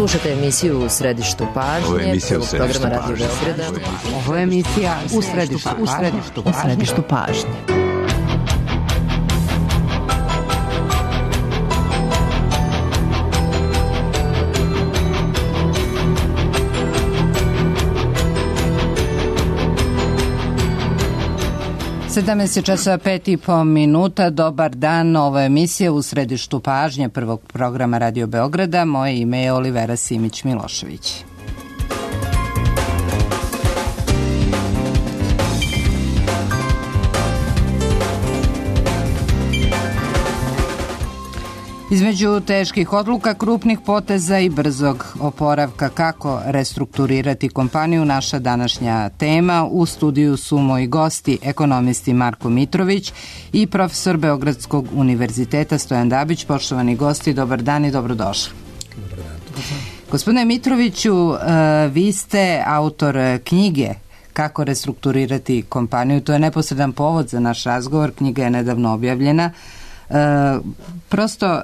Slušate emisiju U središtu pažnje, programa Radio Beograda. Ovo je emisija U središtu pažnje. časova 5:05. Dobar dan, ovo je emisija U središtu pažnje prvog programa Radio Beograda. Moje ime je Olivera Simić-Milošević. Između teških odluka, krupnih poteza i brzog oporavka, kako restrukturirati kompaniju, naša današnja tema. U studiju su moji gosti, ekonomisti Marko Mitrović i profesor Beogradskog univerziteta Stojan Dabić. Poštovani gosti, dobar dan i dobrodošli. Dobar dan. Gospodine Mitroviću, vi ste autor knjige Kako restrukturirati kompaniju. To je neposredan povod za naš razgovor. Knjiga je nedavno objavljena. Prosto,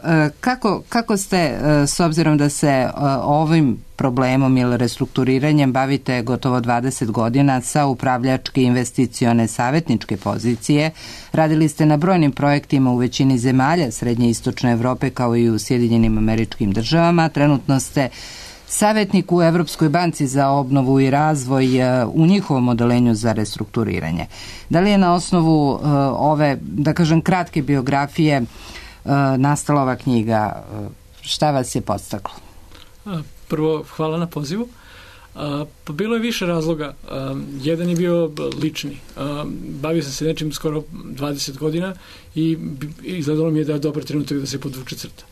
kako ste, s obzirom da se ovim problemom ili restrukturiranjem bavite gotovo 20 godina sa upravljačke investicione savjetničke pozicije, radili ste na brojnim projektima u većini zemalja Srednje i Istočne Evrope kao i u Sjedinjenim Američkim Državama, trenutno ste savjetnik u Evropskoj banci za obnovu i razvoj u njihovom odelenju za restrukturiranje. Da li je na osnovu ove, da kažem, kratke biografije nastala ova knjiga? Šta vas je podstaklo? Prvo, hvala na pozivu. Pa bilo je više razloga. Jedan je bio lični. Bavio sam se nečim skoro 20 godina i izgledalo mi je da je dobar trenutak da se podvuče crta.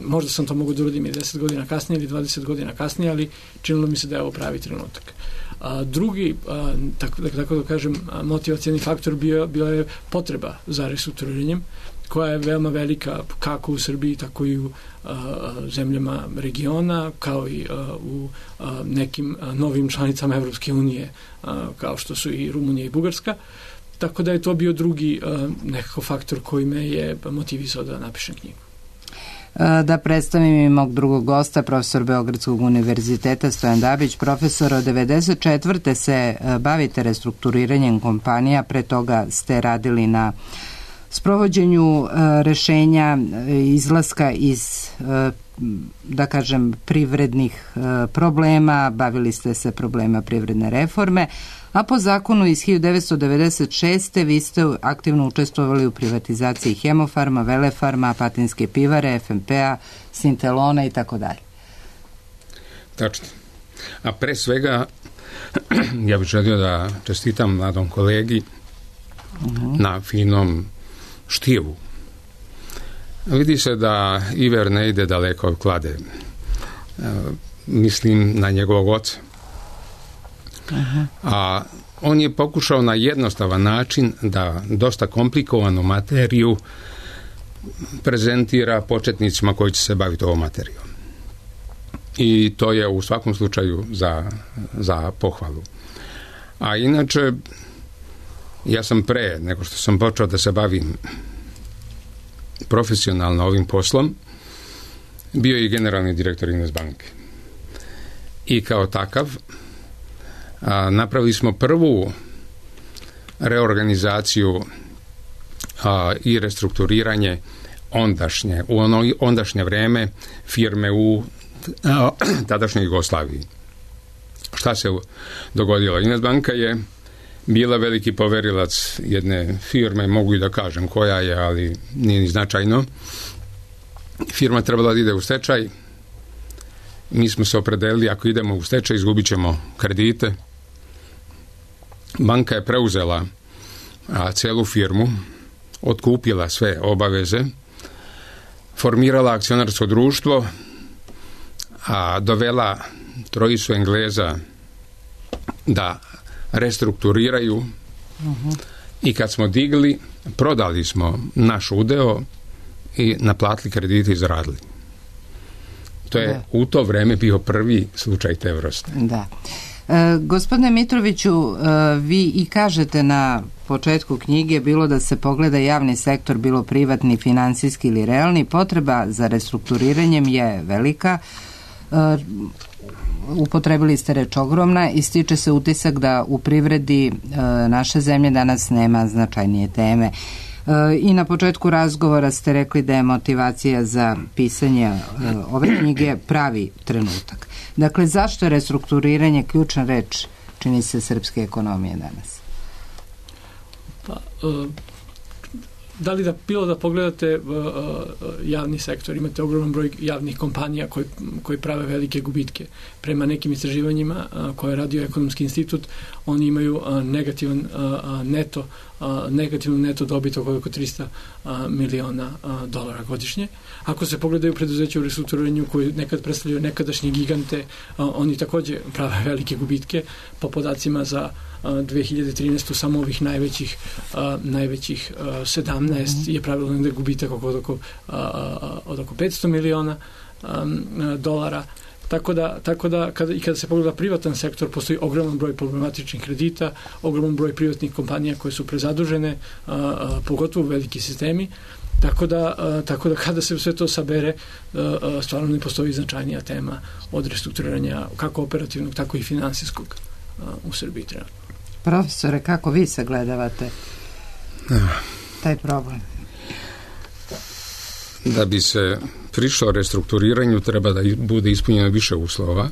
Možda sam to mogao da uradim i 10 godina kasnije ili 20 godina kasnije, ali činilo mi se da je ovo pravi trenutak. Drugi, tako da kažem, motivacijani faktor bila je potreba za restrukturiranjem, koja je veoma velika kako u Srbiji, tako i u zemljama regiona, kao i u nekim novim članicama Evropske unije, kao što su i Rumunija i Bugarska. Tako da je to bio drugi nekako faktor koji me je motivisao da napišem knjigu. Da predstavim i mog drugog gosta, profesor Beogradskog univerziteta Stojan Dabić. Profesor, od 1994. se bavite restrukturiranjem kompanija, pre toga ste radili na sprovođenju rešenja izlaska iz, da kažem, privrednih problema, bavili ste se problema privredne reforme, a po zakonu iz 1996. vi ste aktivno učestvovali u privatizaciji Hemofarma, Velefarma, Apatinske pivare, FMP-a, Sintelona i tako dalje. Tačno. A pre svega, ja bih želio da čestitam mladom kolegi na finom štivu. Vidi se da Iver ne ide daleko od klade. Mislim na njegovog oca. A on je pokušao na jednostavan način da dosta komplikovanu materiju prezentira početnicima koji će se baviti ovom materijom. I to je u svakom slučaju za pohvalu. A inače, ja sam pre nego što sam počeo da se bavim profesionalno ovim poslom, bio i generalni direktor Investbanke. I kao takav napravili smo prvu reorganizaciju i restrukturiranje u ondašnje vreme firme u tadašnjoj Jugoslaviji. Šta se dogodilo? Investbanka je bila veliki poverilac jedne firme, mogu i da kažem koja je, ali nije ni značajno. Firma trebala da ide u stečaj. Mi smo se opredelili, ako idemo u stečaj, izgubit ćemo kredite. Banka je preuzela celu firmu, otkupila sve obaveze, formirala akcionarsko društvo, dovela trojicu Engleza da restrukturiraju i kad smo digli, prodali smo naš udeo i naplatili kredite i zaradili. To je u to vreme bio prvi slučaj te vrste. Da. Gospodine Mitroviću, vi i kažete na početku knjige, bilo da se pogleda javni sektor, bilo privatni, finansijski ili realni, potreba za restrukturiranjem je velika. upotrebili ste reč ogromna i stiče se utisak da u privredi naše zemlje danas nema značajnije teme. I na početku razgovora ste rekli da je motivacija za pisanje ove knjige pravi trenutak. Dakle, zašto je restrukturiranje ključna reč, čini se, srpske ekonomije danas? Pa, da li bilo da pogledate javni sektor, imate ogroman broj javnih kompanija koji prave velike gubitke. Prema nekim istraživanjima koje je radio Ekonomski institut, oni imaju negativnu neto dobit oko 300 miliona dolara godišnje. Ako se pogledaju preduzeća u restrukturiranju koji nekad predstavljaju nekadašnje gigante, oni takođe prave velike gubitke. Po podacima za 2013. samo ovih najvećih 17 je pravilo negde gubitak od oko 500 miliona dolara. Tako da kada se pogleda privatan sektor, postoji ogroman broj problematičnih kredita, ogroman broj privatnih kompanija koje su prezadužene, pogotovo veliki sistemi. Tako da kada se sve to sabere, stvarno ne postoji značajnija tema od restrukturiranja kako operativnog, tako i finansijskog u Srbiji trenutno. Profesore, kako vi sagledavate taj problem? Da bi se prišlo restrukturiranju treba da bude ispunjeno više uslova.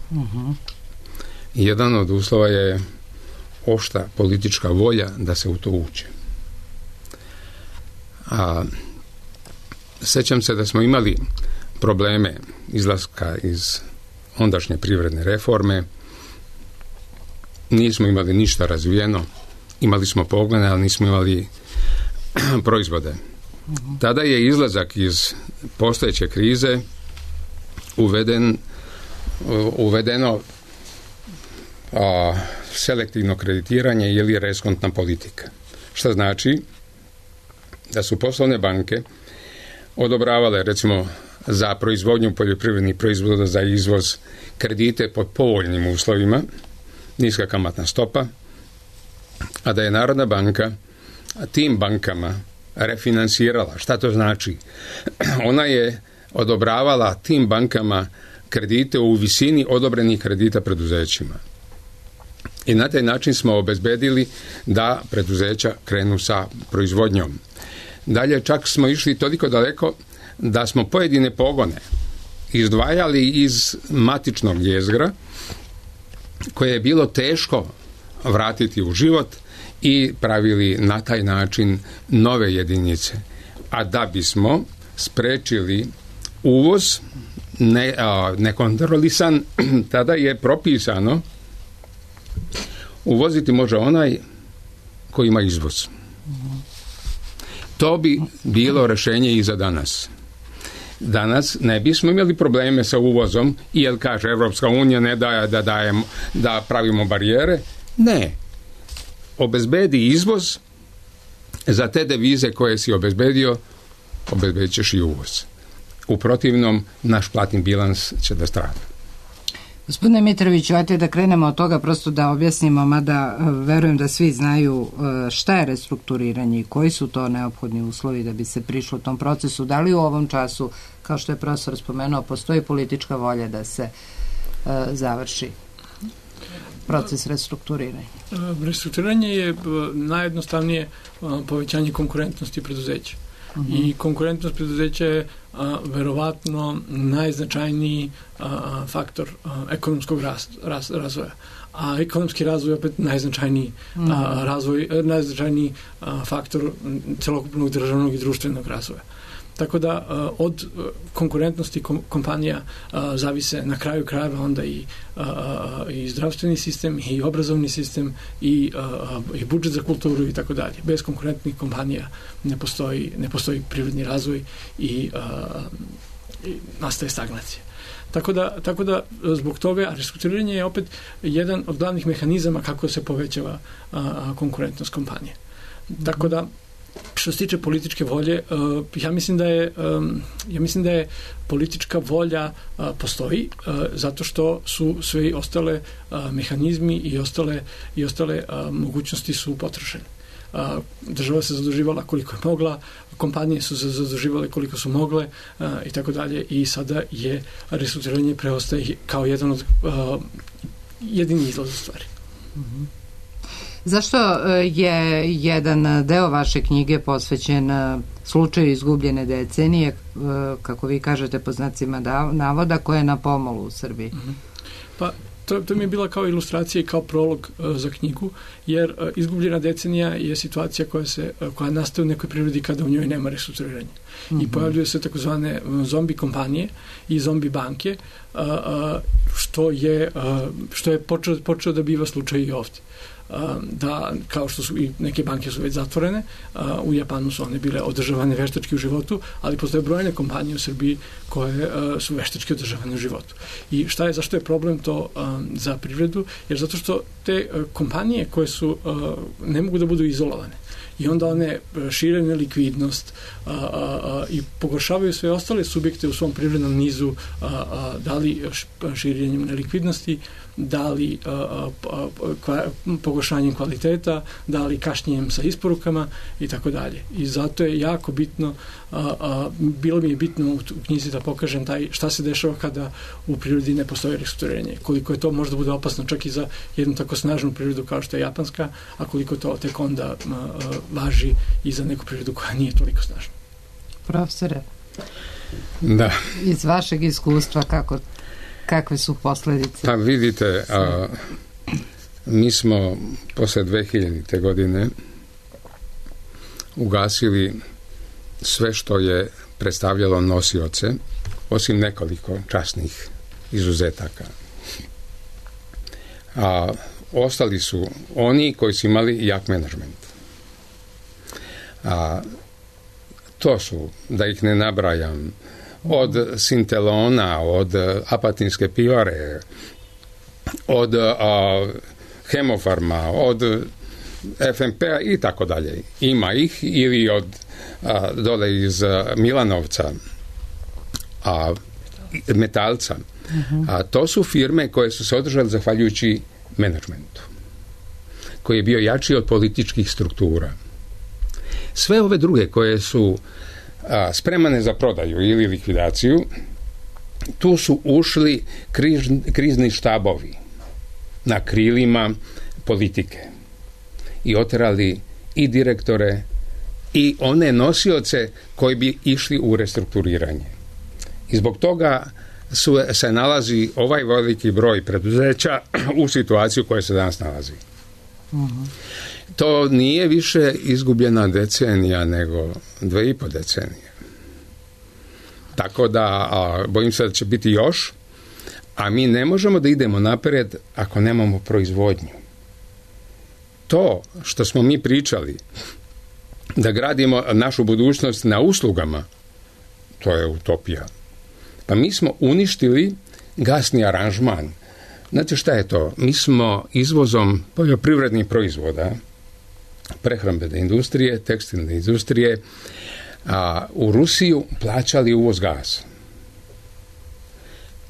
Jedan od uslova je oštra politička volja da se u to uđe. Sećam se da smo imali probleme izlaska iz ondašnje privredne reforme. Nismo imali ništa razvijeno, imali smo pogone, ali nismo imali proizvode. Tada je izlazak iz postojeće krize uvedeno selektivno kreditiranje ili reskontna politika. Što znači da su poslovne banke odobravale, recimo, za proizvodnju poljoprivrednih proizvoda, za izvoz, kredite pod povoljnim uslovima, niska kamatna stopa, a da je Narodna banka tim bankama refinansirala. Šta to znači? Ona je odobravala tim bankama kredite u visini odobrenih kredita preduzećima. I na taj način smo obezbedili da preduzeća krenu sa proizvodnjom. Dalje čak smo išli toliko daleko da smo pojedine pogone izdvajali iz matičnog jezgra koje je bilo teško vratiti u život i pravili na taj način nove jedinice. A da bismo sprečili uvoz nekontrolisan, tada je propisano uvoziti može onaj koji ima izvoz. To bi bilo rešenje i za danas. Danas ne bismo imali probleme sa uvozom, jer kaže Evropska unija ne daje da pravimo barijere. Ne. Obezbedi izvoz, za te devize koje si obezbedio, obezbedit ćeš i uvoz. U protivnom, naš platni bilans će da strada. Gospodine Mitroviću, ajte da krenemo od toga, prosto da objasnimo, mada verujem da svi znaju šta je restrukturiranje i koji su to neophodni uslovi da bi se prišlo tom procesu. Da li u ovom času, kao što je profesor spomenuo, postoji politička volja da se završi proces restrukturiranja? Restrukturiranje je najjednostavnije povećanje konkurentnosti preduzeća. I konkurentnost preduzeća je verovatno najznačajniji faktor ekonomskog razvoja. A ekonomski razvoj je opet najznačajniji najznačajniji faktor celokupnog državnog i društvenog razvoja. Tako da od konkurentnosti kompanija zavise na kraju krajeva onda i zdravstveni sistem, i obrazovni sistem, i budžet za kulturu i tako dalje. Bez konkurentnih kompanija ne postoji privredni razvoj i nastaje stagnacija. Tako da zbog toga restrukturiranje je opet jedan od glavnih mehanizama kako se povećava konkurentnost kompanije. Tako da što se tiče političke volje, ja mislim da je politička volja postoji, zato što su sve ostale mehanizmi i ostale mogućnosti su potrošene. država se zaduživala koliko je mogla, kompanije su se zaduživale koliko su mogle i tako dalje, i sada je restrukturiranje preostaje kao jedini izlaz u stvari. Zašto je jedan deo vaše knjige posvećen slučaju izgubljene decenije, kako vi kažete po znacima navoda, koja je na pomolu u Srbiji? Pa to mi je bila kao ilustracija i kao prolog za knjigu, jer izgubljena decenija je situacija koja nastaje u nekoj prirodi kada u njoj nema restrukturiranja. I pojavljuju se takozvane zombi kompanije i zombi banke, što je počeo da biva slučaj i ovdje. Da, kao što su i neke banke su već zatvorene, u Japanu su one bile održavane veštački u životu, ali postoje brojne kompanije u Srbiji koje su veštački održavane u životu. I zašto je problem to za privredu? Jer zato što te kompanije koje su ne mogu da budu izolovane i onda one šire nelikvidnost i pogoršavaju sve ostale subjekte u svom privrednom nizu, da li širenjem nelikvidnosti, da li pogoršanjem kvaliteta, da li kašnjenjem sa isporukama i tako dalje. I zato je jako bitno, bilo mi je bitno u knjizi da pokažem šta se dešava kada u prirodi ne postoji restrukturiranje. Koliko je to možda bude opasno čak i za jednu tako snažnu prirodu kao što je japanska, a koliko to tek onda važi i za neku prirodu koja nije toliko snažna. Profesore, da. Iz vašeg iskustva kakve su posljedice? Pa vidite, mi smo posle 2000. godine ugasili sve što je predstavljalo nosioce, osim nekoliko časnih izuzetaka. Ostali su oni koji su imali jak menadžment. To su, da ih ne nabrajam, od Sintelona, od Apatinske pivare, od Hemofarma, od FMP-a i tako dalje. Ima ih, ili od dole iz Milanovca, Metalca. To su firme koje su se održale zahvaljujući menadžmentu, koji je bio jači od političkih struktura. Sve ove druge koje su spremane za prodaju ili likvidaciju, tu su ušli krizni štabovi na krilima politike i oterali i direktore i one nosioce koji bi išli u restrukturiranje. I zbog toga se nalazi ovaj veliki broj preduzeća u situaciju u kojoj se danas nalazi. To nije više izgubljena decenija, nego 2,5 decenije. Tako da bojim se da će biti još, a mi ne možemo da idemo napred ako nemamo proizvodnju. To što smo mi pričali, da gradimo našu budućnost na uslugama, to je utopija. Pa mi smo uništili gasni aranžman. Znate šta je to? Mi smo izvozom poljoprivrednih proizvoda, prehrambene industrije, tekstilne industrije, u Rusiju plaćali uvoz gasa.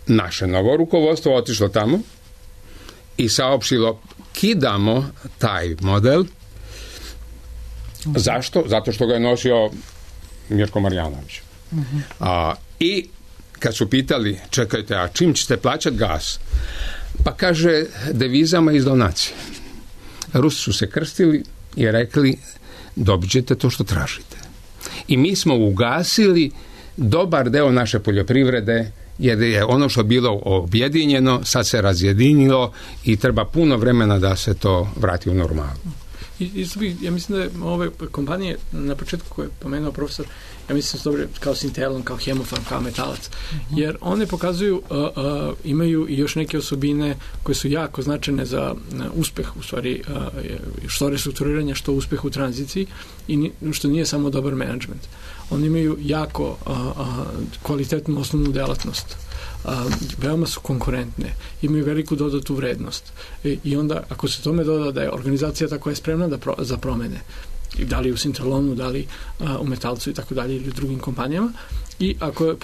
Naše novo rukovodstvo otišlo tamo i saopštilo, kidamo taj model. Zašto? Zato što ga je nosio Mirko Marjanović. I kad su pitali, čekajte, a čim ćete plaćati gas? Pa kaže, devizama iz donacije. Rusi su se krstili i rekli, dobit ćete to što tražite. I mi smo ugasili dobar deo naše poljoprivrede, jer je ono što je bilo objedinjeno, sad se razjedinilo i treba puno vremena da se to vrati u normalu. Ja mislim da ove kompanije na početku koje je pomenuo profesor, ja mislim da su dobre kao Sintelon, kao Hemofarm, kao Metalac, jer one pokazuju, imaju i još neke osobine koje su jako značajne za uspeh, u stvari, što restrukturiranja, što uspeh u tranziciji i što nije samo dobar menadžment. Oni imaju jako kvalitetnu osnovnu delatnost. Veoma su konkurentne, imaju veliku dodatu vrednost i onda ako se tome doda da je organizacija tako je spremna za promene, da li u Sintralonu, da li u Metalcu i tako dalje ili u drugim kompanijama. I ako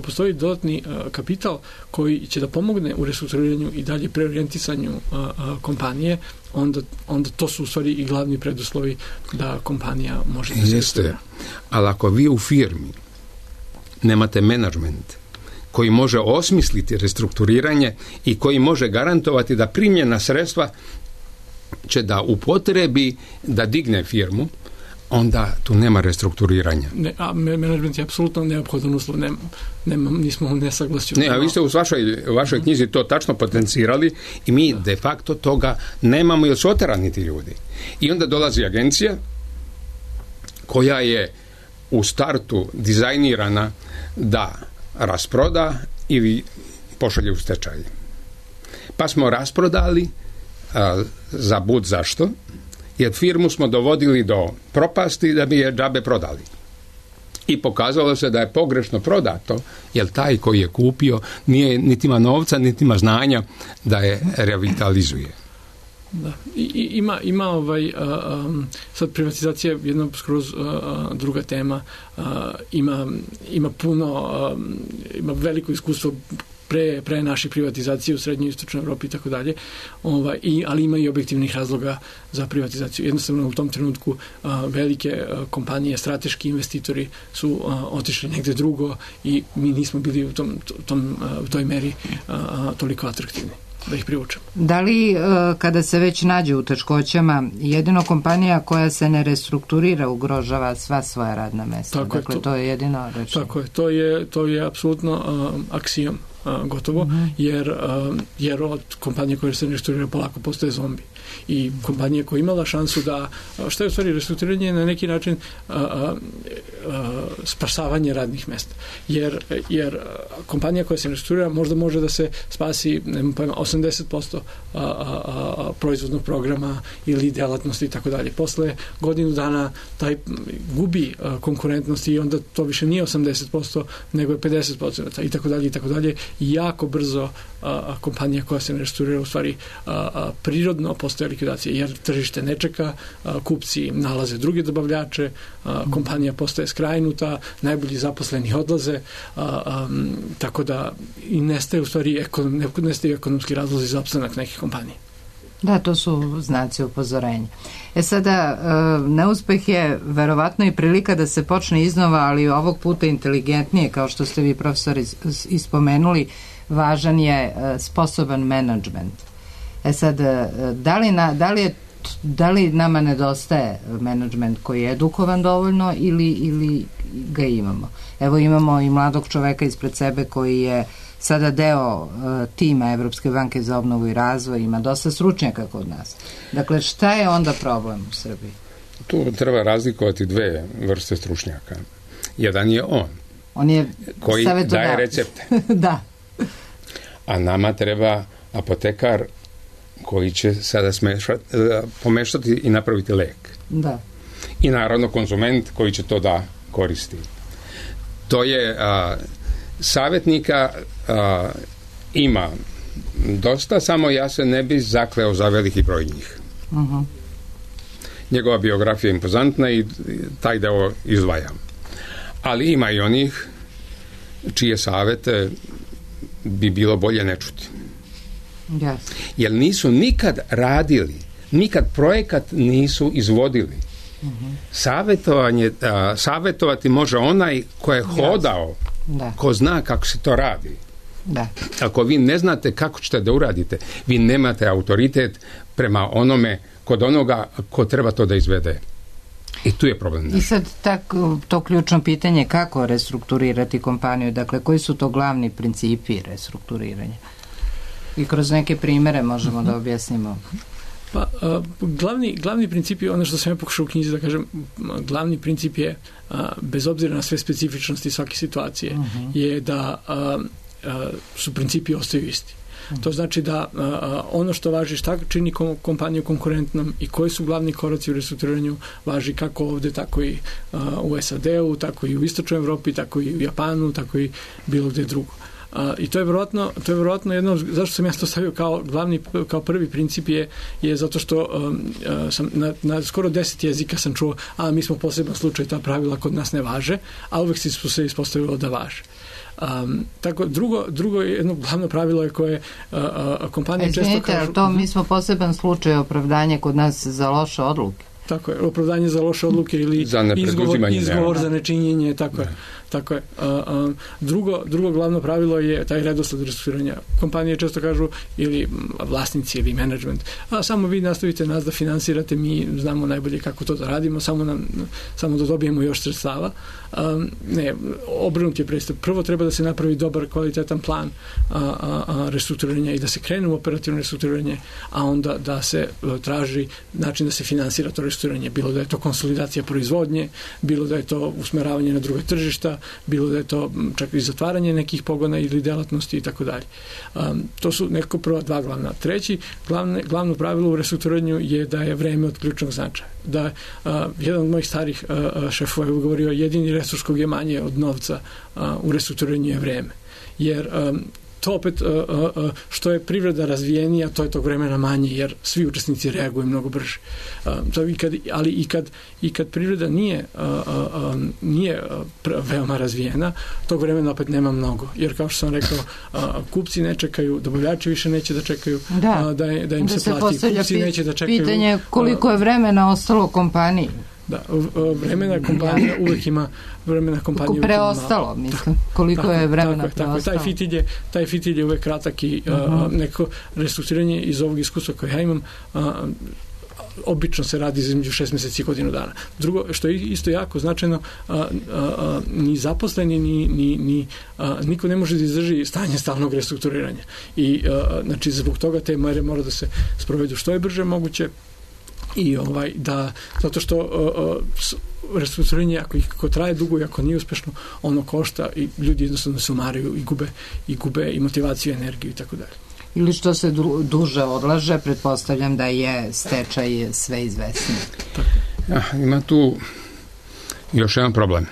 postoji dodatni kapital koji će da pomogne u restrukturiranju i dalje preorijentisanju kompanije, onda to su u stvari i glavni preduslovi da kompanija može da se restrukturira. Ali ako vi u firmi nemate menadžment koji može osmisliti restrukturiranje i koji može garantovati da primljena sredstva će da upotrebi da digne firmu, onda tu nema restrukturiranja. A menadžment je apsolutno neophodan uslov, nismo u nesaglasju. A vi ste u vašoj knjizi to tačno potencirali i mi de facto toga nemamo, jer su oterani ti ljudi. I onda dolazi agencija koja je u startu dizajnirana da rasproda ili pošalje u stečaj. Pa smo rasprodali za bud zašto, jer firmu smo dovodili do propasti da bi je džabe prodali. I pokazalo se da je pogrešno prodato, jer taj koji je kupio nije niti ima novca, niti ima znanja da je revitalizuje. Da. Ima sad privatizacija jedna skroz druga tema, ima puno, ima veliko iskustvo pre naše privatizacije u srednjoj i istočnoj Evropi i tako dalje, ali ima i objektivnih razloga za privatizaciju. Jednostavno u tom trenutku velike kompanije, strateški investitori su otišli negde drugo i mi nismo bili u toj meri toliko atraktivni da ih privučemo. Da li kada se već nađe u teškoćama, jedino kompanija koja se ne restrukturira ugrožava sva svoja radna mesta? Dakle, to je jedino rečeno. Tako je, to je apsolutno aksijom gotovo, jer od kompanije koje se restrukturira polako postaje zombi. I kompanija koja je imala šansu da, što je u stvari restrukturiranje na neki način spasavanje radnih mesta. Jer kompanija koja se restrukturira možda može da se spasi 80% proizvodnog programa ili delatnosti i tako dalje. Posle godinu dana taj gubi konkurentnost i onda to više nije 80%, nego je 50% i tako dalje i tako dalje. I jako brzo kompanija koja se ne restrukturira u stvari prirodno postaje likvidacija, jer tržište ne čeka, kupci nalaze druge dobavljače, kompanija postaje skrajnuta, najbolji zaposleni odlaze, tako da i nestaje u stvari nestaju ekonomski razlozi za opstanak nekih kompanija. Da, to su znaci upozorenja. Sada, neuspeh je verovatno i prilika da se počne iznova, ali ovog puta inteligentnije, kao što ste vi, profesor, ispomenuli, važan je sposoban menadžment. Sad, da li nama nedostaje menadžment koji je edukovan dovoljno ili ga imamo? Evo, imamo i mladog čoveka ispred sebe koji je sada deo tima Evropske banke za obnovu i razvoj, ima dosta stručnjaka kod nas. Dakle, šta je onda problem u Srbiji? Tu treba razlikovati dve vrste stručnjaka. Jedan je on je koji daje recepte. Da. A nama treba apotekar koji će sada pomešati i napraviti lek. Da. I naravno konzument koji će to da koristi. To je savjetnika ima dosta, samo ja se ne bi zakleo za veliki broj njih. Uh-huh. Njegova biografija je impozantna i taj deo izdvajam. Ali ima i onih čije savjete bi bilo bolje ne čuti. Yes. Jer nisu nikad radili, nikad projekat nisu izvodili. Uh-huh. Savjetovati može onaj ko je hodao, ko zna kako se to radi. Da. Ako vi ne znate kako ćete da uradite, vi nemate autoritet prema onome kod onoga ko treba to da izvede. I tu je problem. I sad to ključno pitanje, kako restrukturirati kompaniju, dakle koji su to glavni principi restrukturiranja? I kroz neke primere možemo da objasnimo. Pa, glavni princip je ono što sam ja pokušao u knjizi da kažem, glavni princip je, bez obzira na sve specifičnosti svake situacije, je da su principi ostaju isti. To znači da ono što važi šta čini kompaniju konkurentnom i koji su glavni koraci u restrukturiranju važi kako ovde, tako i u SAD-u, tako i u Istočnoj Evropi, tako i u Japanu, tako i bilo gde drugo. I to je vjerojatno jedno, zašto sam ja to stavio kao prvi princip je zato što sam na skoro 10 jezika sam čuo, mi smo poseban slučaj, ta pravila kod nas ne važe, a uvek se ispostavilo da važe. Tako, drugo jedno glavno pravilo je koje kompanije često kažu... to mi smo poseban slučaj, opravdanje kod nas za loše odluke. Tako je, opravdanje za loše odluke ili izgovor za nečinjenje, tako je. Drugo glavno pravilo je taj redosled restrukturiranja. Kompanije često kažu, ili vlasnici ili menadžment, samo vi nastavite nas da finansirate, mi znamo najbolje kako to da radimo, samo da dobijemo još sredstava. Ne, obrnut je pristup. Prvo treba da se napravi dobar, kvalitetan plan restrukturiranja i da se krene u operativno restrukturiranje, a onda da se traži način da se finansira to restrukturiranje. Bilo da je to konsolidacija proizvodnje, bilo da je to usmeravanje na druge tržišta, bilo da je to čak i zatvaranje nekih pogona ili delatnosti i tako dalje. To su nekako prva dva glavna. Treći, glavno pravilo u restrukturiranju je da je vreme od ključnog značaja. Da jedan od mojih starih šefova je govorio, jedini resurs kog je manje od novca u restrukturiranju je vreme. Jer to opet, što je privreda razvijenija, to je tog vremena manje, jer svi učesnici reaguju mnogo brže. Ali i kad privreda nije veoma razvijena, tog vremena opet nema mnogo. Jer kao što sam rekao, kupci ne čekaju, dobavljači više neće da čekaju da im se plati. Kupci neće da čekaju. Pitanje koliko je vremena ostalo kompaniji. Da, vremena kompanija uvek ima preostalo, mislim. Koliko je vremena preostalo. Taj fitilj je uvek kratak i neko restrukturiranje iz ovog iskustva koje ja imam obično se radi između 6 mjeseci i godinu dana. Drugo, što je isto jako značajno, ni zaposleni, ni niko ne može da izdrži stanje stalnog restrukturiranja. I znači, zbog toga te mere mora da se sprovedu što je brže moguće. I zato što restrukturiranje ako traje dugo i ako nije uspešno, ono košta i ljudi jednostavno se umaraju i gube i motivaciju, energiju i tako dalje. Ili što se duže odlaže, pretpostavljam da je stečaj sve izvesniji. Ima tu još jedan problem.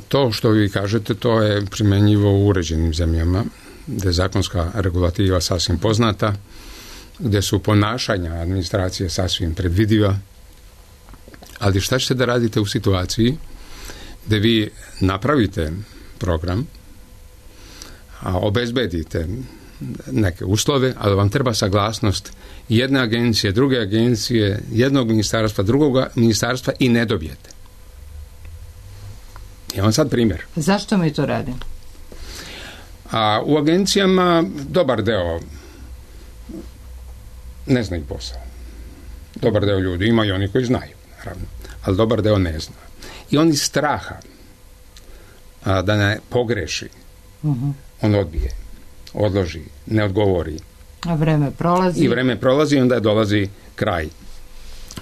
To što vi kažete, to je primenjivo u uređenim zemljama, gde je zakonska regulativa sasvim poznata, gde su ponašanja administracije sasvim predvidiva, ali šta ćete da radite u situaciji gde vi napravite program, a obezbedite neke uslove, ali vam treba saglasnost jedne agencije, druge agencije, jednog ministarstva, drugog ministarstva i ne dobijete. Evo sad primjer. Zašto mi to radimo? U agencijama dobar deo ne znaju posao. Dobar deo ljudi, ima i oni koji znaju, naravno, ali dobar deo ne zna. I on iz straha da ne pogreši, on odbije, odloži, ne odgovori. A vreme prolazi. I vreme prolazi i onda dolazi kraj.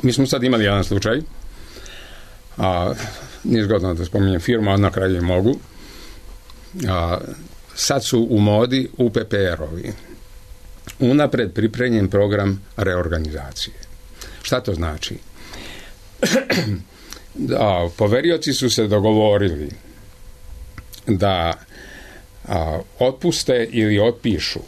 Mi smo sad imali jedan slučaj, nije zgodno da spominjem firmu, a na kraju je mogu. Sad su u modi UPPR-ovi. Unapred pripremljen program reorganizacije. Šta to znači? Poverioci su se dogovorili da otpuste ili otpišu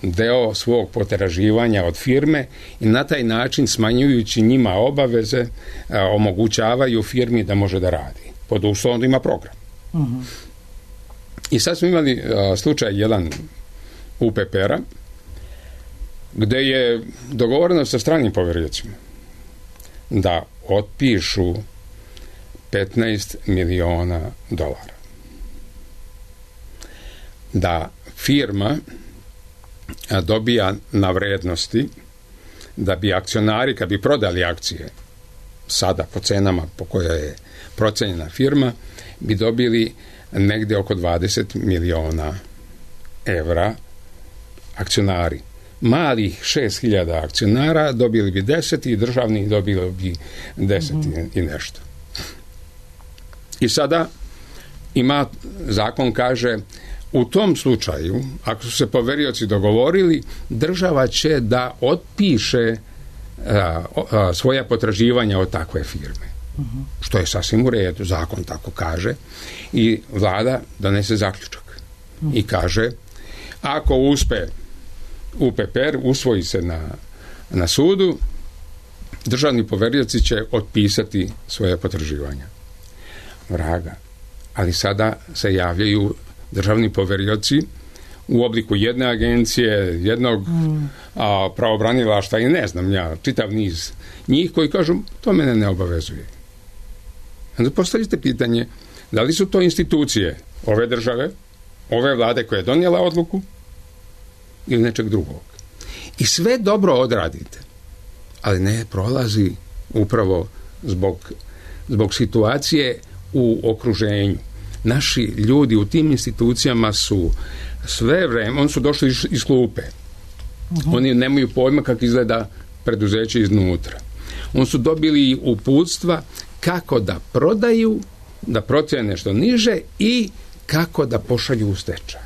deo svog potraživanja od firme i na taj način, smanjujući njima obaveze, omogućavaju firmi da može da radi. Pod uslovom da ima program. I sad smo imali slučaj jedan UPPR-a gde je dogovoreno sa stranim poveriocima da otpišu $15 miliona. Da firma dobija na vrednosti, da bi akcionari, kad bi prodali akcije sada po cenama po kojoj je procenjena firma, bi dobili negde oko $20 miliona akcionari. Malih 6.000 akcionara dobili bi 10 i državni dobili bi 10 i nešto. I sada zakon kaže, u tom slučaju, ako su se poverioci dogovorili, država će da otpiše svoja potraživanja od takve firme. Što je sasvim u redu, zakon tako kaže, i vlada donese zaključak. i kaže ako uspe UPPR, usvoji se na sudu, državni poverioci će otpisati svoje potraživanja. Vraga. Ali sada se javljaju državni poverioci u obliku jedne agencije, jednog pravobranilaštva i ne znam ja, čitav niz njih koji kažu to mene ne obavezuje. Onda postavite pitanje da li su to institucije ove države, ove vlade koja je donijela odluku ili nečeg drugog. I sve dobro odradite, ali ne prolazi upravo zbog situacije u okruženju. Naši ljudi u tim institucijama su sve vreme, oni su došli iz klupe. Oni nemaju pojma kako izgleda preduzeće iznutra. Oni su dobili uputstva kako da prodaju, da procjene nešto niže i kako da pošalju u stečaj.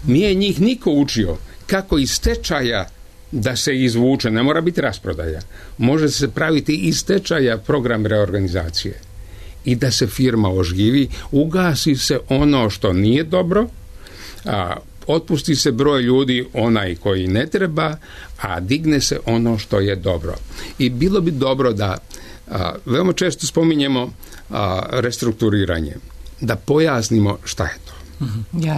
Nije njih niko učio kako iz stečaja da se izvuče, ne mora biti rasprodaja. Može se praviti iz stečaja program reorganizacije i da se firma oživi, ugasi se ono što nije dobro, otpusti se broj ljudi onaj koji ne treba, a digne se ono što je dobro. I bilo bi dobro da veoma često spominjemo restrukturiranje, da pojasnimo šta je to.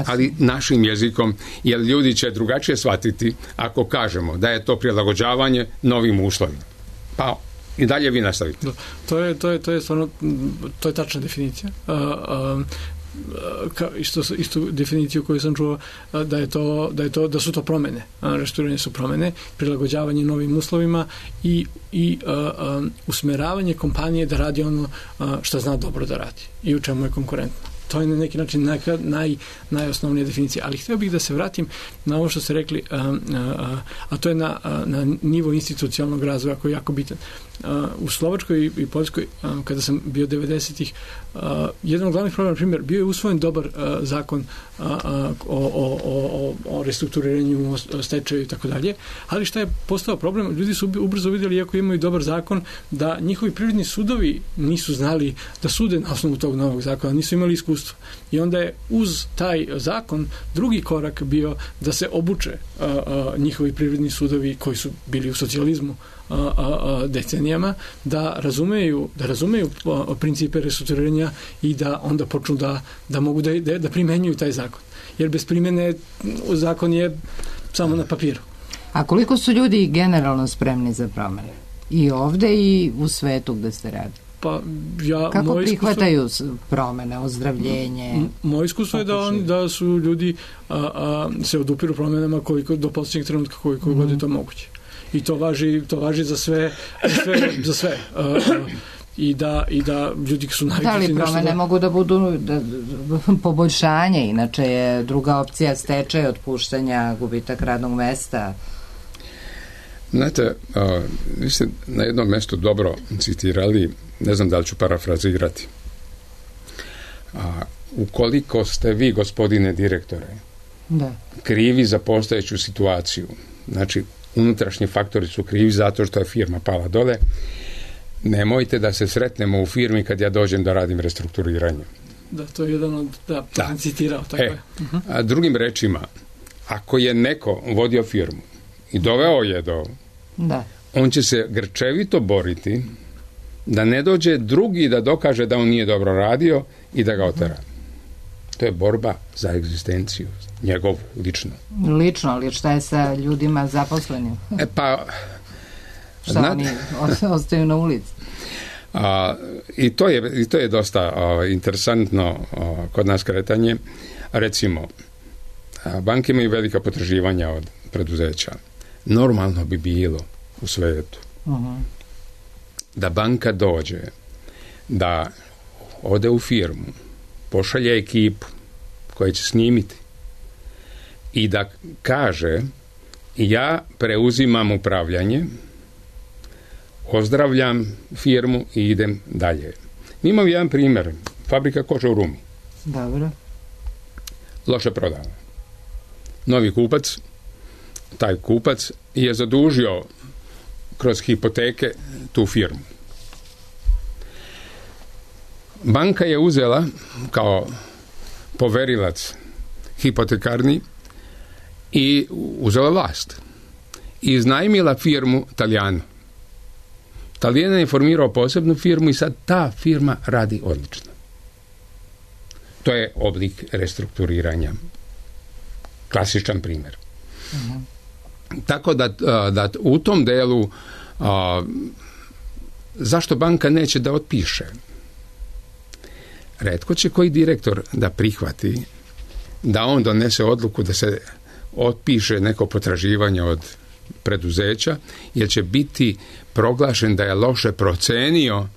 Ali našim jezikom, jer ljudi će drugačije shvatiti ako kažemo da je to prilagođavanje novim uslovima. Pa i dalje vi nastavite. To je stvarno, to je tačna definicija. Istu definiciju koju sam čuo da su to promene. Restrukturiranje su promene, prilagođavanje novim uslovima i usmeravanje kompanije da radi ono što zna dobro da radi i u čemu je konkurentno. To je na neki način najosnovnija definicija. Ali htio bih da se vratim na ovo što ste rekli, a to je na nivo institucionalnog razvoja koji je jako bitan. U Slovačkoj i Poljskoj, kada sam bio 90-ih, jedan od glavnih problema, na primjer, bio je usvojen dobar zakon o restrukturiranju, stečaju i tako dalje, ali šta je postao problem? Ljudi su ubrzo vidjeli, iako imaju dobar zakon, da njihovi privredni sudovi nisu znali da sude na osnovu tog novog zakona, nisu imali iskustva. I onda je uz taj zakon drugi korak bio da se obuče njihovi privredni sudovi koji su bili u socijalizmu decenijama, da razumeju principe restrukturiranja i da onda počnu da mogu da primenjuju taj zakon. Jer bez primjene zakon je samo na papiru. A koliko su ljudi generalno spremni za promene? I ovde i u svetu gde ste radili? Kako prihvataju promene, ozdravljenje? Moje iskustvo je da su ljudi se odupiru promenama do posljednjeg trenutka koliko god je to moguće. I to važi za sve. I da ljudi su navikli. Da li promene mogu da budu poboljšanje, inače je druga opcija stečaj, otpuštanja, gubitak radnog mesta. Znate, vi ste na jednom mjestu dobro citirali, ne znam da li ću parafrazirati. Ukoliko ste vi, gospodine direktore, krivi za postojeću situaciju, znači unutrašnji faktori su krivi zato što je firma pala dole, nemojte da se sretnemo u firmi kad ja dođem da radim restrukturiranje. Da, to je jedan od, to sam citirao, tako je. A drugim rečima, ako je neko vodio firmu i doveo je on će se grčevito boriti da ne dođe drugi da dokaže da on nije dobro radio i da ga otera. To je borba za egzistenciju, njegovu, lično. Lično, ali šta je sa ljudima zaposlenim? Šta oni ostaju na ulici? I to je dosta interesantno kod nas kretanje. Recimo, banke imaju velika potraživanja od preduzeća. Normalno bi bilo u svetu da banka dođe, da ode u firmu, pošalje ekipu koja će snimiti i da kaže ja preuzimam upravljanje, ozdravljam firmu i idem dalje. Mi imamo jedan primjer, fabrika kože u Rumi. Dobro. Loše prodana. Novi kupac, taj kupac je zadužio kroz hipoteke tu firmu. Banka je uzela kao poverilac hipotekarni i uzela vlast. I iznajmila firmu Talijanu. Talijan je formirao posebnu firmu i sad ta firma radi odlično. To je oblik restrukturiranja. Klasičan primjer. Uh-huh. Tako da u tom delu zašto banka neće da otpiše? Retko će koji direktor da prihvati da on donese odluku da se otpiše neko potraživanje od preduzeća, jer će biti proglašen da je loše procenio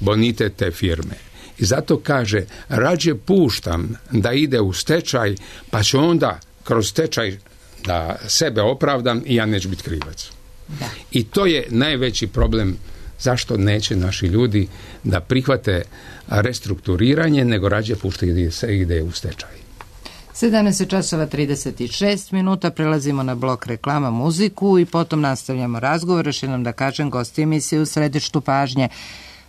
bonitet te firme. I zato kaže, rađe puštam da ide u stečaj, pa ću onda kroz stečaj da sebe opravdam i ja neću biti krivac. Da. I to je najveći problem zašto neće naši ljudi da prihvate restrukturiranje, nego rađe pušta da se ide u stečaj. 17:36, prelazimo na blok reklama, muziku i potom nastavljamo razgovor. Još jednom da kažem, gosti emisije u središtu pažnje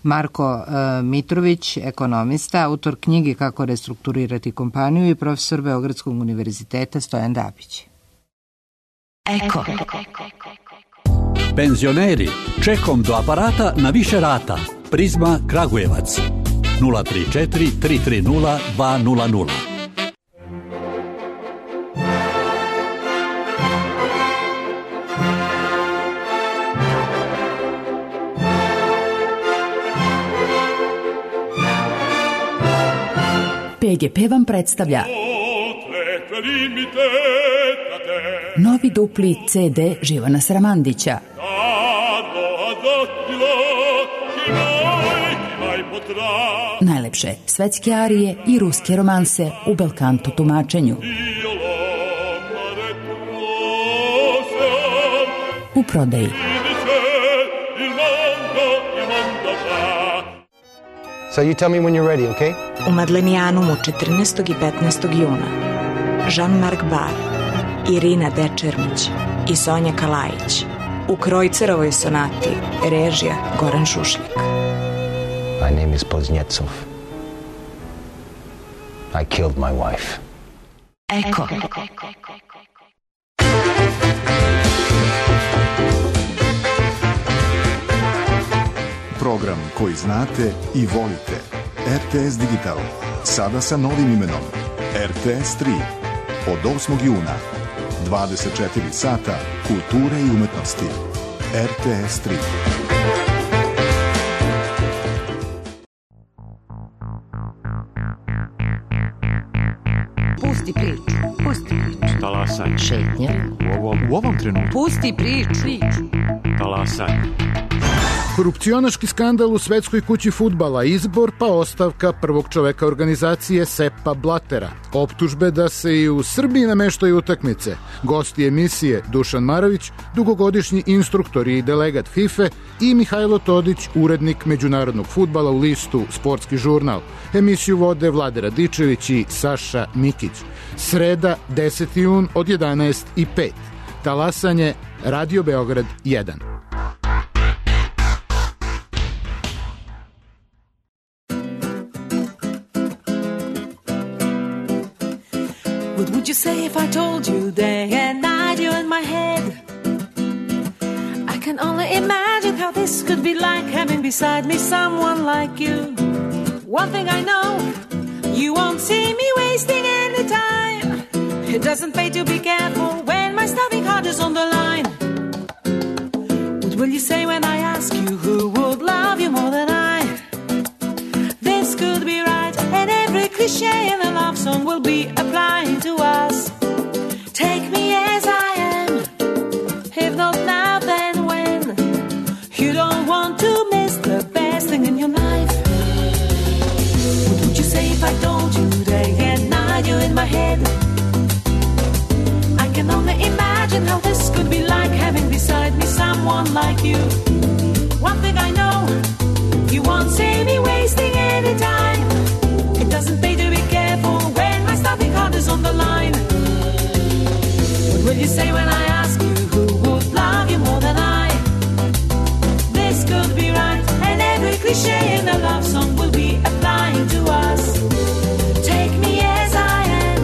Marko Mitrović, ekonomista, autor knjige Kako restrukturirati kompaniju i profesor Beogradskog univerziteta Stojan Dabić. Eko. Penzioneri, čekom do aparata na više rata. Prizma Kragujevac 034 330 200. PGP vam predstavlja novi dupli CD Živana Sramandića. Najlepše svetske arije i ruske romanse u belkanto tumačenju. U prodaji. So you tell me when you're ready, okay? U Madlenijanumu 14. i 15. juna Jean-Marc Bar, Irina Dečermić i Sonja Kalajić u Krojcerovoj sonati, režija Goran Šušljak. My name is Poznjecov. I killed my wife. Eko. Program koji znate i volite. RTS Digital. Sada sa novim imenom. RTS 3. Od 8. juna. 24 sata kulture i umetnosti. RTS 3. Pusti priču. Talasaj. Šetnja. U ovom trenutku. Pusti priču. Talasaj. Korupcionaški skandal u Svetskoj kući fudbala, izbor pa ostavka prvog čoveka organizacije Seppa Blattera. Optužbe da se i u Srbiji nameštaju utakmice. Gosti emisije Dušan Marović, dugogodišnji instruktor i delegat FIFA i Mihajlo Todić, urednik međunarodnog fudbala u listu Sportski žurnal. Emisiju vode Vlade Radičević i Saša Mikić. Sreda, 10. jun od 11:05. Talasanje, Radio Beograd 1. What would you say if I told you day and night you're in my head? I can only imagine how this could be like having beside me someone like you. One thing I know, you won't see me wasting any time. It doesn't pay to be careful when my starving heart is on the line. What will you say when I ask you who would love you more than I? This could be right, and every cliche in a love song will be applying to us. Take me as I am, if not now then when. You don't want to miss the best thing in your life. What would you say if I told you day and night you're in my head? I can only imagine how this could be like having beside me someone like you. One thing I know, you won't see me wasting any time. It doesn't pay to be careful when my starving heart is on the line. What will you say when I ask you who would love you more than I? This could be right, and every cliche in a love song will be applying to us. Take me as I am,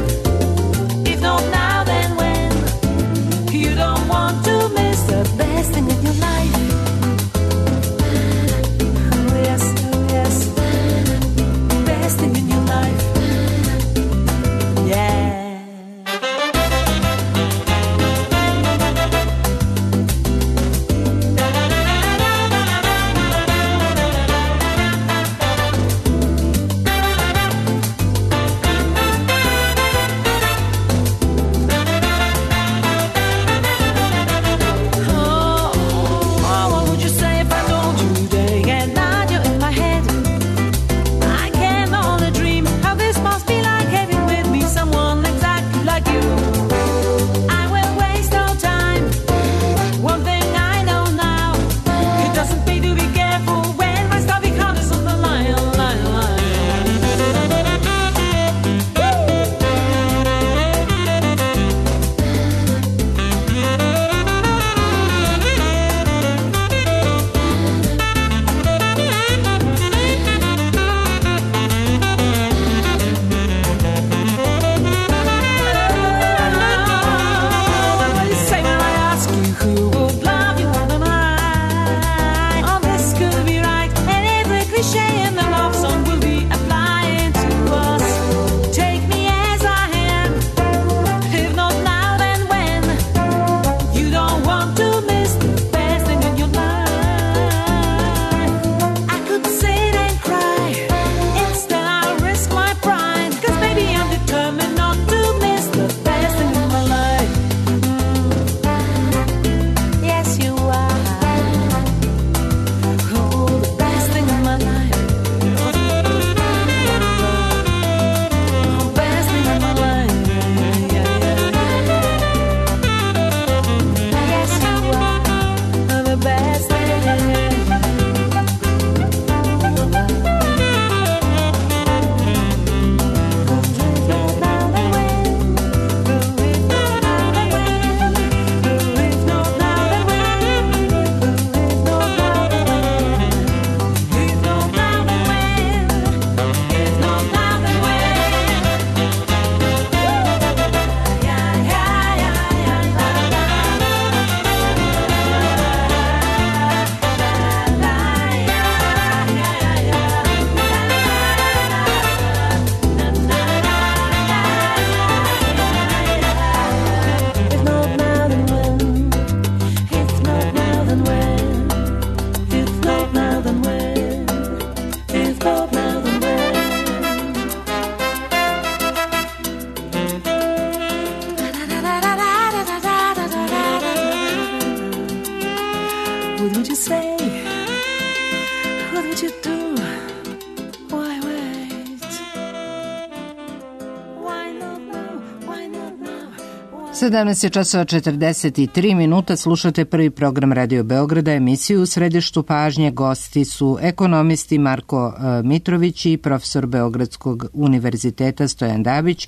17:43, slušate prvi program Radio Beograda, emisiju u središtu pažnje. Gosti su ekonomisti Marko Mitrović i profesor Beogradskog univerziteta Stojan Dabić.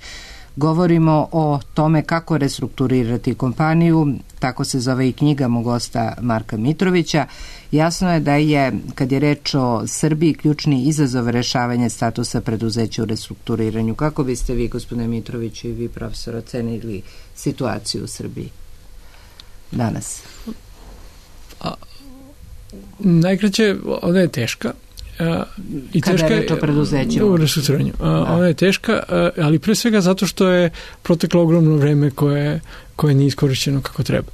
Govorimo o tome kako restrukturirati kompaniju, tako se zove i knjiga mog gosta Marka Mitrovića. Jasno je da je, kad je reč o Srbiji, ključni izazov rešavanje statusa preduzeća u restrukturiranju. Kako biste vi, gospodine Mitroviću, i vi, profesor, ocenili situaciju u Srbiji danas? Najkraće, ona je teška. I kada teška je reč o preduzećima? U restrukturiranju. Ona je teška, ali pre svega zato što je proteklo ogromno vreme koje nije iskorišćeno kako treba.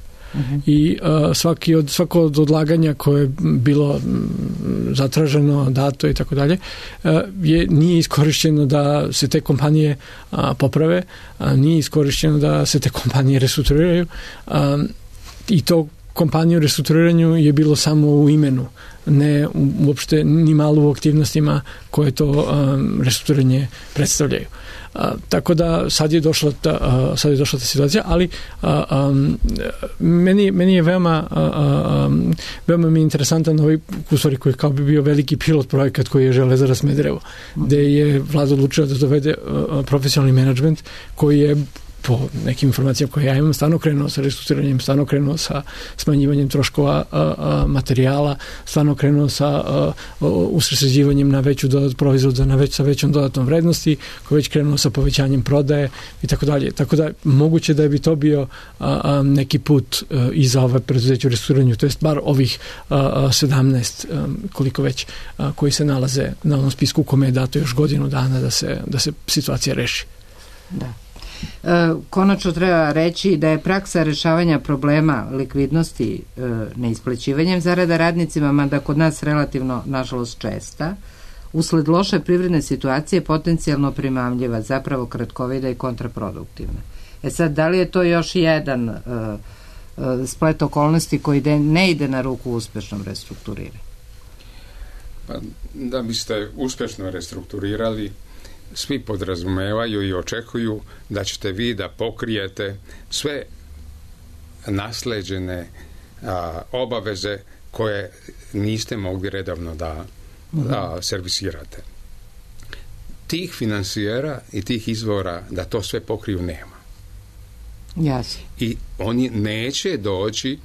I svako od odlaganja koje je bilo zatraženo, dato i tako dalje, nije iskorišćeno da se te kompanije poprave, nije iskorišćeno da se te kompanije restrukturiraju, i to kompanije u restrukturiranju je bilo samo u imenu, ne uopšte ni malo u aktivnostima koje to restrukturiranje predstavljaju. Tako da sad je došla ta situacija, ali meni je veoma mi je interesantan ovaj, u stvari, koji kao bi bio veliki pilot projekat koji je Železara Smederevo, gde je vlada odlučila da dovede profesionalni menadžment koji je, po nekim informacijama koje ja imam, stvarno krenuo sa restrukturiranjem, stvarno krenuo sa smanjivanjem troškova materijala, stvarno krenuo sa usredsređivanjem na veću proizvoda, sa većom dodatnom vrednosti, koji već krenuo sa povećanjem prodaje i tako dalje. Tako da moguće da bi to bio neki put i za ove preduzeće u restrukturiranju, to jest bar ovih 17 koliko već koji se nalaze na onom spisku kome je dato još godinu dana da se situacija reši. Da. Konačno treba reći da je praksa rešavanja problema likvidnosti neisplaćivanjem zarada radnicima, mada kod nas relativno, nažalost, česta, usled loše privredne situacije potencijalno primamljiva, zapravo kratkovida i kontraproduktivna. Sad, da li je to još jedan splet okolnosti koji ne ide na ruku uspešnom restrukturiranju? Pa, da biste uspešno restrukturirali, svi podrazumevaju i očekuju da ćete vi da pokrijete sve nasleđene obaveze koje niste mogli redovno da servisirate. Tih finansijera i tih izvora da to sve pokriju nema. Jasno. I oni neće doći,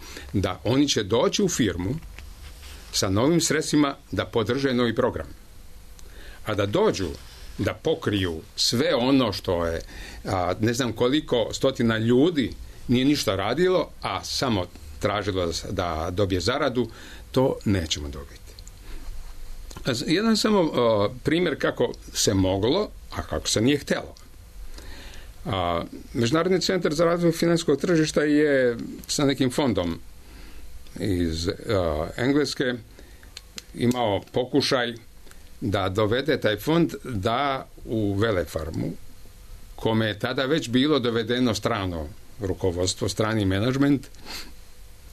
oni će doći u firmu sa novim sredstvima da podrže novi program. A da dođu da pokriju sve ono što je, ne znam koliko stotina ljudi nije ništa radilo, a samo tražilo da dobije zaradu, to nećemo dobiti. Jedan samo primjer kako se moglo, a kako se nije htjelo. Međunarodni centar za razvoj financijskog tržišta je sa nekim fondom iz Engleske imao pokušaj da dovede taj fond da u Velefarmu, kome je tada već bilo dovedeno strano rukovodstvo, strani menadžment,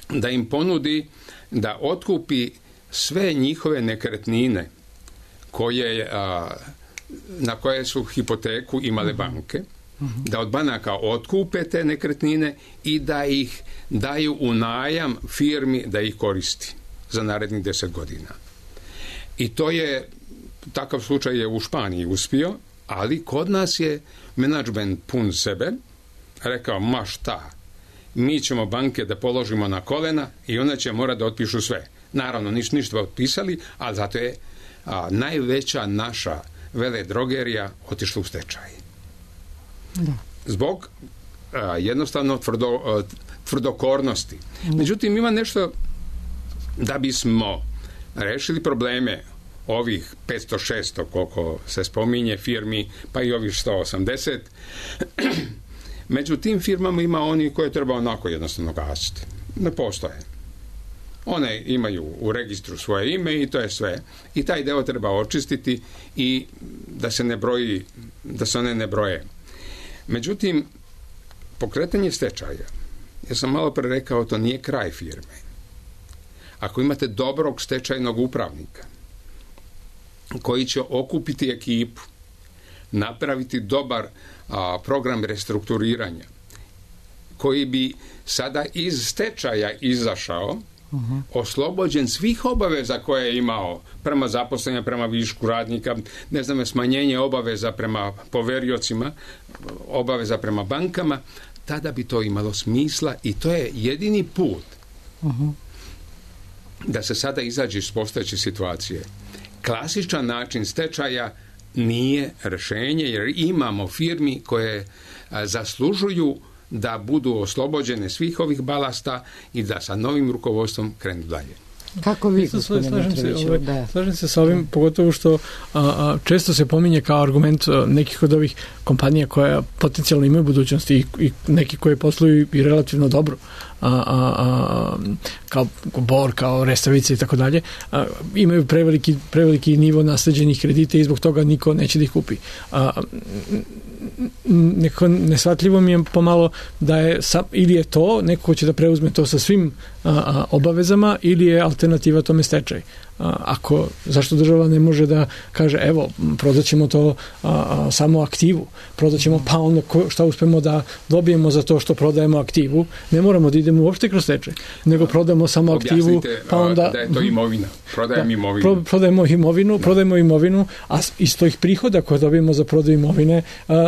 da im ponudi da otkupi sve njihove nekretnine na koje su hipoteku imale banke, da od banaka otkupe te nekretnine i da ih daju u najam firmi da ih koristi za narednih 10 godina. I to je, takav slučaj je u Španiji uspio, ali kod nas je menadžment pun sebe rekao, ma šta, mi ćemo banke da položimo na kolena i one će morati da otpišu sve. Naravno, ništa otpisali, ali zato je najveća naša veledrogerija otišla u stečaj. Da. Zbog jednostavno tvrdokornosti. Međutim, ima nešto da bismo rešili probleme ovih 500-600, koliko se spominje, firmi, pa i ovih 180. Među tim firmama ima oni koje treba onako jednostavno gasiti. Ne postoje. One imaju u registru svoje ime i to je sve. I taj deo treba očistiti i da se ne broji, da se one ne broje. Međutim, pokretanje stečaja, ja sam malo pre rekao, to nije kraj firme. Ako imate dobrog stečajnog upravnika koji će okupiti ekipu, napraviti dobar program restrukturiranja, koji bi sada iz stečaja izašao, oslobođen svih obaveza koje je imao prema zaposlenja, prema višku radnika, ne znam, smanjenje obaveza prema poveriocima, obaveza prema bankama, tada bi to imalo smisla i to je jedini put da se sada izađe iz postojeće situacije. Klasičan način stečaja nije rješenje, jer imamo firmi koje zaslužuju da budu oslobođene svih ovih balasta i da sa novim rukovodstvom krenu dalje. Kako vi, gospodine Mitroviću? Slažem se sa ovim, pogotovo što često se pominje kao argument nekih od ovih kompanija koja potencijalno imaju budućnosti i neki koje posluju i relativno dobro, kao Bor, kao Resavica i tako dalje, imaju preveliki nivo nasleđenih kredita i zbog toga niko neće da ih kupi. Neko nesvatljivo mi je pomalo da je ili je to neko ko će da preuzme to sa svim obavezama ili je alternativa tome stečaj. Zašto država ne može da kaže evo, prodaćemo to samo aktivu, prodaćemo pa onda šta uspemo da dobijemo za to što prodajemo aktivu, ne moramo da idemo uopšte kroz stečaj, nego prodajemo samo aktivu. Objasnite pa onda, da je to imovina, prodajemo imovinu, a iz tih prihoda koje dobijemo za prodaju imovine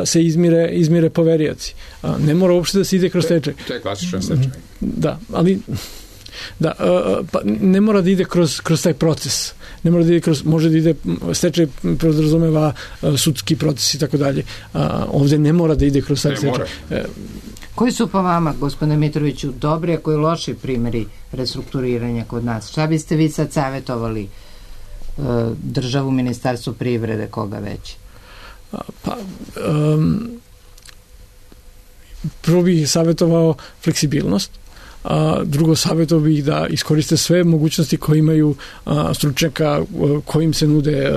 se izmire poverioci. Ne mora uopšte da se ide kroz stečaj. To je klasičan stečaj. Da, ali pa ne mora da ide kroz taj proces. Ne mora da ide može da ide, stečaj podrazumeva sudski proces i tako dalje. Ovdje ne mora da ide kroz taj stečaj. Koji su po vama, gospodine Mitroviću, dobri, a koji loši primjeri restrukturiranja kod nas? Šta biste vi sad savjetovali državu, ministarstvo privrede, koga već? Prvo bih savjetovao fleksibilnost. Drugo, savjetovao bih da iskoriste sve mogućnosti koje imaju stručnjaka kojim se nude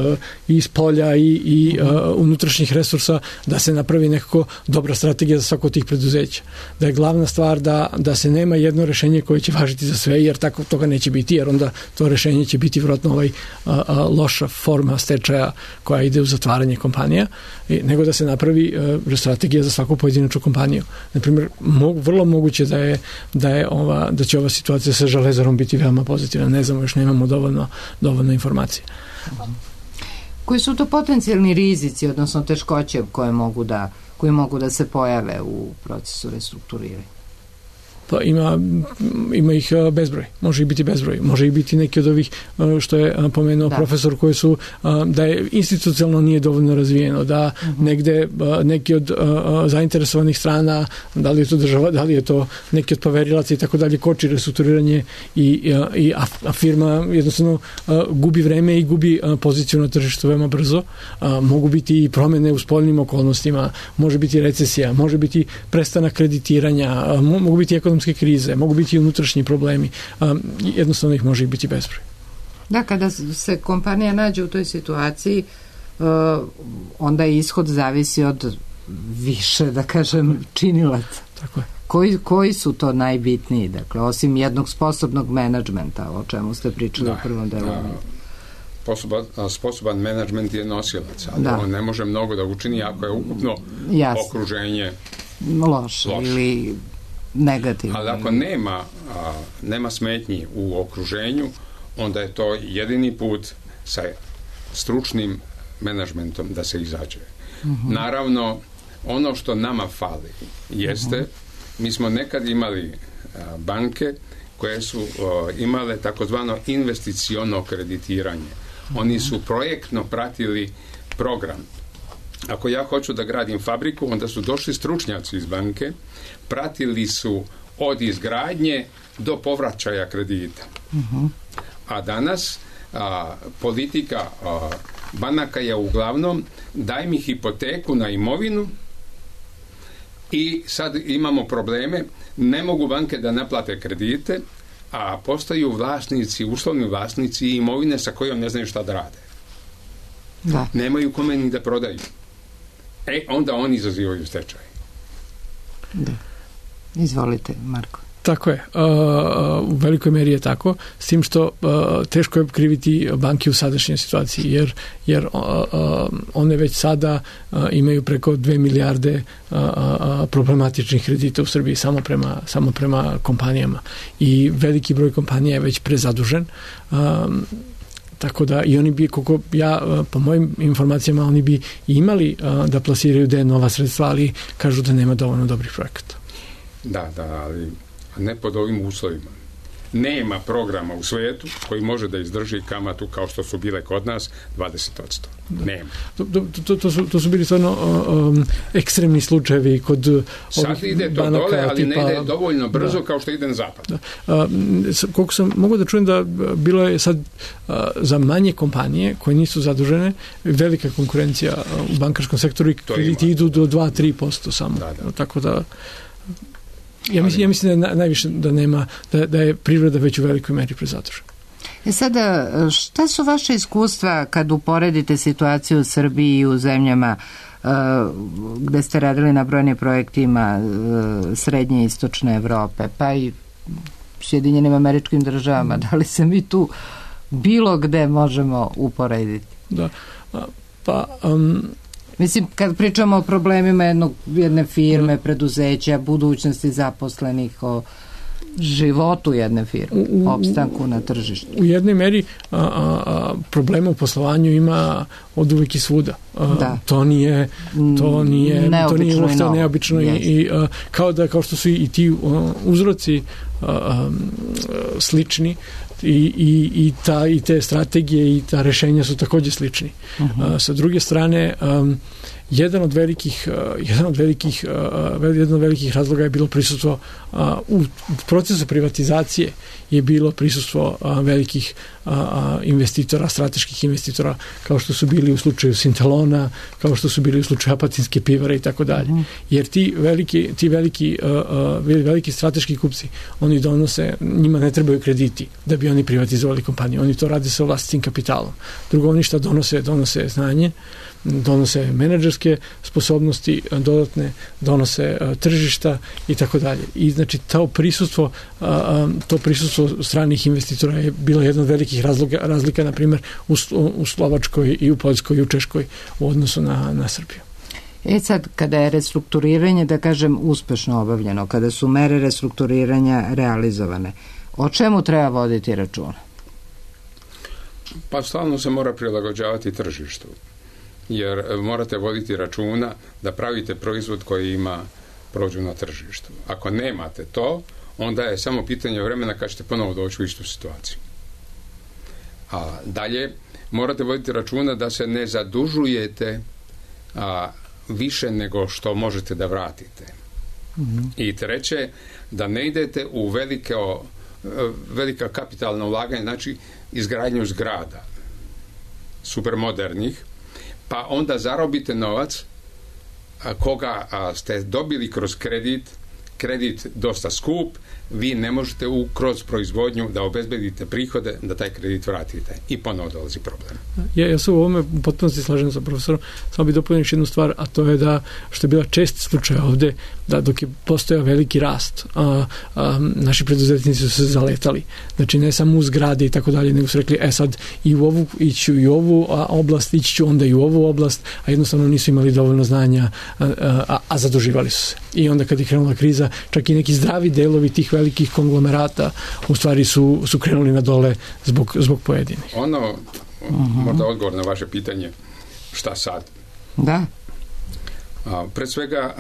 i iz polja i unutrašnjih resursa, da se napravi nekako dobra strategija za svako od tih preduzeća. Da je glavna stvar da se nema jedno rešenje koje će važiti za sve, jer tako toga neće biti, jer onda to rešenje će biti vjerojatno loša forma stečaja koja ide u zatvaranje kompanija, nego da se napravi strategija za svaku pojedinačnu kompaniju. Naprimjer, vrlo moguće da će ova situacija sa Železarom biti veoma pozitivna. Ne znamo, još nemamo dovoljno informacije. Koji su to potencijalni rizici, odnosno teškoće koji mogu da se pojave u procesu restrukturiranja? Pa ima ih bezbroj, može ih biti bezbroj, može ih biti neki od ovih što je pomenuo profesor, koji su da je institucionalno nije dovoljno razvijeno, da negde neki od zainteresovanih strana, da li je to država, da li je to neki od poverilaca i tako dalje, koči restrukturiranje a firma jednostavno gubi vreme i gubi poziciju na tržištu veoma brzo. Mogu biti i promene u spoljnim okolnostima, može biti recesija, može biti prestanak kreditiranja, mogu biti ekonomske krize, mogu biti i unutrašnji problemi, jednostavno ih može biti bezbroj. Da, kada se kompanija nađe u toj situaciji, onda ishod zavisi od više, da kažem, činilaca. Tako je. Koji su to najbitniji, dakle, osim jednog sposobnog menadžmenta, o čemu ste pričali u prvom delu? Sposoban menadžment je nosilac, ali on ne može mnogo da učini ako je ukupno okruženje loše ili negativno. Ali ako nema smetnji u okruženju, onda je to jedini put sa stručnim menadžmentom da se izađe. Naravno, ono što nama fali jeste, mi smo nekad imali banke koje su imale takozvano investiciono kreditiranje. Oni su projektno pratili program. Ako ja hoću da gradim fabriku, onda su došli stručnjaci iz banke, pratili su od izgradnje do povraćaja kredita. A danas politika banaka je uglavnom daj mi hipoteku na imovinu i sad imamo probleme, ne mogu banke da naplate kredite, a postaju vlasnici, uslovni vlasnici imovine sa kojom ne znaju šta da rade. Nemaju kome ni da prodaju. Onda oni izazivaju stečaj. Da. Izvolite, Marko. Tako je. U velikoj meri je tako, s tim što teško je kriviti banke u sadašnjoj situaciji, jer one već sada imaju preko 2 milijarde problematičnih kredita u Srbiji samo prema kompanijama. I veliki broj kompanija je već prezadužen. Tako da i oni bi, koliko ja, po mojim informacijama, oni bi imali da plasiraju da je nova sredstva, ali kažu da nema dovoljno dobrih projekata. Da, ali ne pod ovim uslovima. Nema programa u svetu koji može da izdrži kamatu kao što su bile kod nas 20%. Nema. To su bili stvarno ekstremni slučajevi kod ovih sad ide to banaka, dole, ali tipa, ne ide dovoljno brzo kao što ide na zapad. Koliko sam mogu da čujem da bilo je sad za manje kompanije koje nisu zadužene velika konkurencija u bankarskom sektoru i krediti idu do 2-3% samo. Tako da ja mislim da najviše da nema, da je privreda već u velikoj meri prezadužena. Sada, šta su vaše iskustva kad uporedite situaciju u Srbiji i u zemljama gde ste radili na brojnim projektima srednje i istočne Evrope, pa i Sjedinjenim Američkim Državama? Da li se mi tu bilo gde možemo uporediti? Da, mislim, kad pričamo o problemima jedne firme, preduzeća, budućnosti zaposlenih, o životu jedne firme, opstanku na tržištu. U jednoj meri problema u poslovanju ima od uvijek i svuda. To nije uopšte neobično i kao što su i ti uzroci slični, i te strategije i ta rešenja su također slični. Sa druge strane, jedan od velikih razloga je bilo prisustvo u procesu privatizacije je bilo prisustvo velikih investitora, strateških investitora, kao što su bili u slučaju Sintalona, kao što su bili u slučaju Apatinske pivare i tako dalje. Jer ti veliki strateški kupci, oni donose, njima ne trebaju krediti da bi oni privatizovali kompaniju. Oni to rade sa vlastitim kapitalom. Drugo, oni šta donose znanje, donose menadžerske sposobnosti dodatne, donose tržišta i tako dalje. I znači to prisustvo stranih investitora je bilo jedna od velikih razlika, na primjer u Slovačkoj i u Poljskoj i u Češkoj u odnosu na Srbiju. Sad, kada je restrukturiranje, da kažem, uspešno obavljeno, kada su mere restrukturiranja realizovane, o čemu treba voditi računa? Pa stalno se mora prilagođavati tržištu, jer morate voditi računa da pravite proizvod koji ima prođu na tržištu. Ako nemate to, onda je samo pitanje vremena kad ćete ponovo doći u istu situaciju. A dalje, morate voditi računa da se ne zadužujete više nego što možete da vratite. I treće, da ne idete u velika kapitalna ulaganja, znači izgradnju zgrada supermodernih, pa onda zarobite novac koga ste dobili kroz kredit dosta skup, vi ne možete kroz proizvodnju da obezbedite prihode da taj kredit vratite i ponovo dolazi problem. Ja se u ovome u potpunosti slažem sa profesorom, samo bih dopunio jednu stvar, a to je da, što je bila čest slučaj ovde, da dok je postojao veliki rast, naši preduzetnici su se zaletali. Znači ne samo u zgrade i tako dalje, nego su rekli, sad ići u ovu oblast, ići ću onda i u ovu oblast, a jednostavno nisu imali dovoljno znanja, a zaduživali su se. I onda kad je krenula kriza, čak i neki zdravi delovi tih velikih konglomerata u stvari su krenuli na dole zbog pojedinih. Možda odgovor na vaše pitanje, šta sad? Da. Pred svega,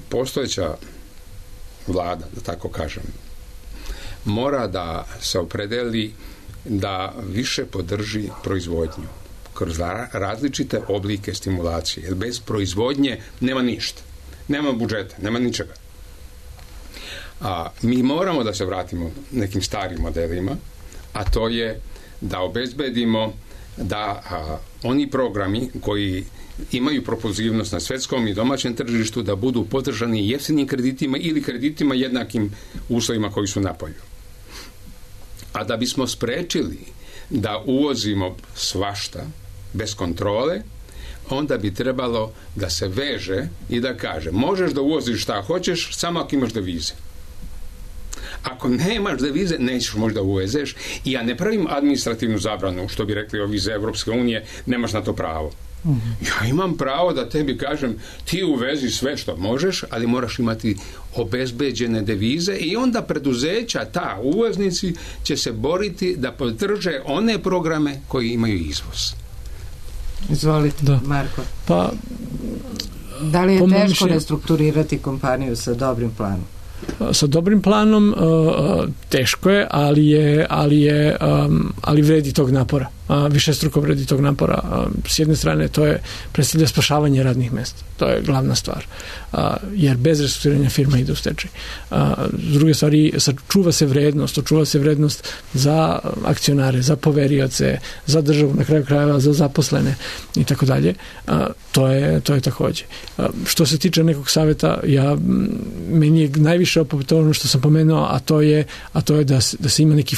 postojeća vlada, da tako kažem, mora da se opredeli da više podrži proizvodnju kroz različite oblike stimulacije. Jer bez proizvodnje nema ništa. Nema budžeta, nema ničega. Mi moramo da se vratimo nekim starim modelima, a to je da obezbedimo da oni programi koji imaju propulzivnost na svetskom i domaćem tržištu da budu podržani jeftinim kreditima ili kreditima jednakim uslovima koji su napolju. A da bismo sprečili da uvozimo svašta bez kontrole, onda bi trebalo da se veže i da kaže, možeš da uvoziš šta hoćeš, samo ako imaš devize. Ako nemaš devize, nećeš možda uvezeš. I ja ne pravim administrativnu zabranu, što bi rekli ovi iz Evropske unije, nemaš na to pravo. Ja imam pravo da tebi kažem, ti uvezi sve što možeš, ali moraš imati obezbeđene devize i onda preduzeća, ta uvoznici će se boriti da podrže one programe koji imaju izvoz. Izvolite, Marko. Pa, da li je teško restrukturirati kompaniju sa dobrim planom? Sa dobrim planom teško je, ali vredi tog napora. Višestruko vredi tog napora. S jedne strane to predstavlja spašavanje radnih mesta. To je glavna stvar. Jer bez restrukturiranja firma ide u stečaj. S druge stvari, očuva se vrednost za akcionare, za poverioce, za državu, na kraju krajeva, za zaposlene i tako dalje. To je takođe. Što se tiče nekog savjeta, meni je najviše opet ono što sam pomenuo, a to je da se ima neki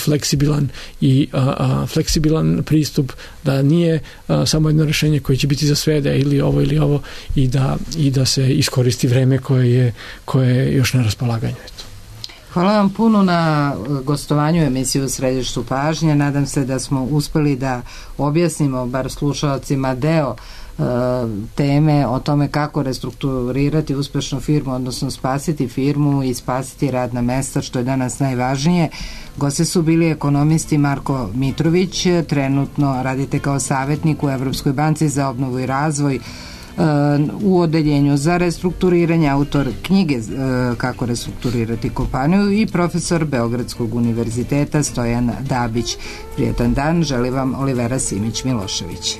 fleksibilan pristup, da nije samo jedno rešenje koje će biti za sve, da je ili ovo i da se iskoristi vreme koje je još na raspolaganju. Hvala vam puno na gostovanju emisiju u središtu pažnje. Nadam se da smo uspeli da objasnimo bar slušalcima deo teme o tome kako restrukturirati uspešnu firmu, odnosno spasiti firmu i spasiti radna mesta, što je danas najvažnije. Gosti su bili ekonomisti Marko Mitrović, trenutno radite kao savjetnik u Evropskoj banci za obnovu i razvoj u odeljenju za restrukturiranje, autor knjige Kako restrukturirati kompaniju, i profesor Beogradskog univerziteta Stojan Dabić. Prijetan dan, želi vam Olivera Simić-Milošević.